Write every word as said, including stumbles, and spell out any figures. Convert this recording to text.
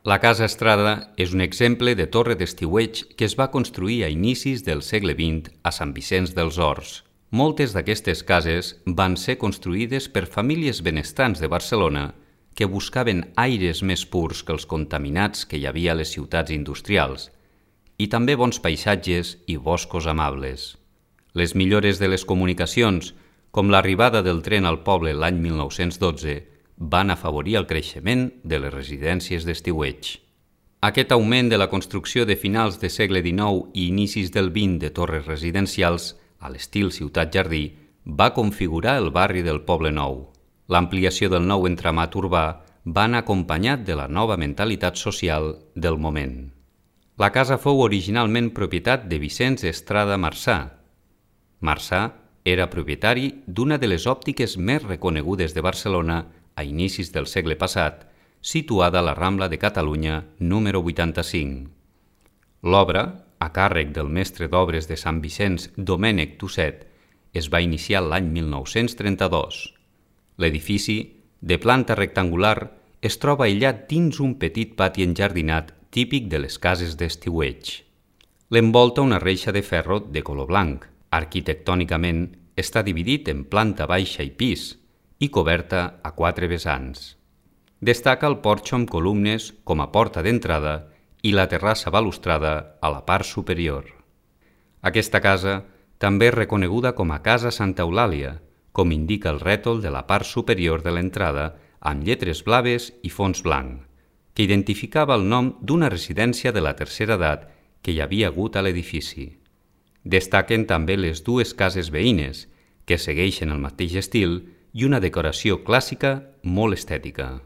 La Casa Estrada és un exemple de torre d'estiueig que es va construir a inicis del segle vint a Sant Vicenç dels Horts. Moltes d'aquestes cases van ser construïdes per famílies benestants de Barcelona que buscaven aires més purs que els contaminats que hi havia a les ciutats industrials i també bons paisatges i boscos amables. Les millores de les comunicacions, com l'arribada del tren al poble l'any mil nou-cents dotze, van afavorir el creixement de les residències d'estiueig. Aquest augment de la construcció de finals de segle dinou i inicis del vint de torres residencials, a l'estil ciutat-jardí, va configurar el barri del Poble Nou. L'ampliació del nou entramat urbà va anar acompanyat de la nova mentalitat social del moment. La casa fou originalment propietat de Vicenç Estrada Marçà. Marçà era propietari d'una de les òptiques més reconegudes de Barcelona a inicis del segle passat, situada a la Rambla de Catalunya número vuitanta-cinc. L'obra, a càrrec del mestre d'obres de Sant Vicenç Domènec Tusset, es va iniciar l'any mil nou-cents trenta-dos. L'edifici, de planta rectangular, es troba aïllat dins un petit pati enjardinat típic de les cases d'estiueig. L'envolta una reixa de ferro de color blanc. Arquitectònicament està dividit en planta baixa i pis, i coberta a quatre vessants. Destaca el porxo amb columnes com a porta d'entrada i la terrassa balustrada a la part superior. Aquesta casa també és reconeguda com a Casa Santa Eulàlia, com indica el rètol de la part superior de l'entrada amb lletres blaves i fons blanc, que identificava el nom d'una residència de la tercera edat que hi havia hagut a l'edifici. Destaquen també les dues cases veïnes, que segueixen el mateix estil i una decoració clàssica molt estètica.